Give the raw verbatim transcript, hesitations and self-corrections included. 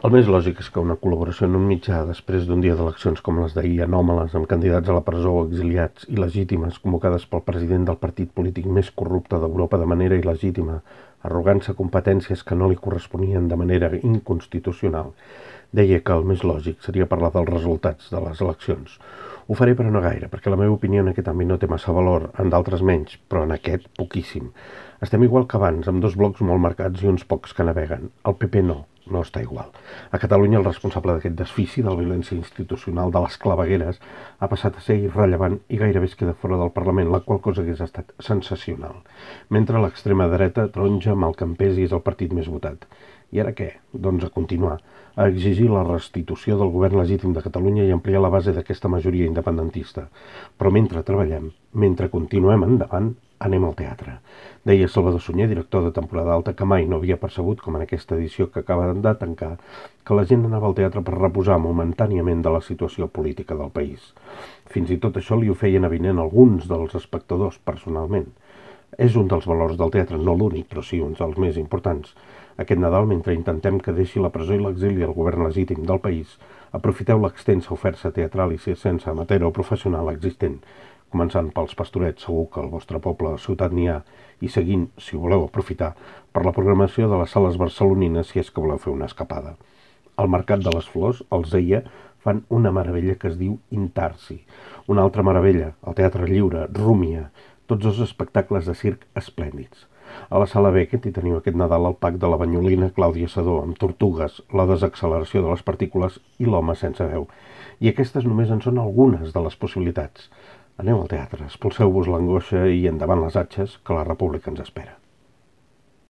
El més lògic és que una col·laboració en un mitjà després d'un dia d'eleccions com les d'ahir, anòmales, amb candidats a la presó o exiliats il·legítimes convocades pel president del partit polític més corrupte d'Europa de manera il·legítima, arrogant-se competències que no li corresponien de manera inconstitucional, deia que el més lògic seria parlar dels resultats de les eleccions. Ho faré però no gaire, perquè la meva opinió en aquest àmbit no té massa valor, en d'altres menys, però en aquest poquíssim. Estem igual que abans, amb dos blocs molt marcats i uns pocs que naveguen. El P P no, no està igual. A Catalunya el responsable d'aquest desfici, de la violència institucional, de les clavegueres, ha passat a ser irrellevant i gairebé es queda fora del Parlament, la qual cosa hagués estat sensacional. Mentre l'extrema dreta taronja amb el campés i és el partit més votat. I ara què? Doncs a continuar, a exigir la restitució del govern legítim de Catalunya i ampliar la base d'aquesta majoria independentista. Però mentre treballem, mentre continuem endavant, anem al teatre. Deia Salvador Sunyer, director de temporada alta, que mai no havia percebut, com en aquesta edició que acaba de tancar, que la gent anava al teatre per reposar momentàniament de la situació política del país. Fins i tot això li ho feien avinent alguns dels espectadors personalment. És un dels valors del teatre, no l'únic, però sí un dels més importants. Aquest Nadal, mentre intentem que deixi la presó i l'exili el govern legítim del país, aprofiteu l'extensa oferta teatral i sense amateur o professional existent, començant pels Pastorets, segur que al vostre poble o ciutat n'hi ha, i seguint, si ho voleu aprofitar, per la programació de les sales barcelonines si és que voleu fer una escapada. Al Mercat de les Flors, els deia, fan una meravella que es diu Intarsi. Una altra meravella, el Teatre Lliure, Rúmia, tots dos espectacles de circ esplèndids. A la Sala Beckett hi teniu aquest Nadal el Pack de la Banyolina Clàudia Sedó, amb Tortugues, la desacceleració de les partícules i l'home sense veu. I aquestes només en són algunes de les possibilitats. Aneu al teatre, expulseu-vos l'angoixa i endavant les atxes, que la república ens espera.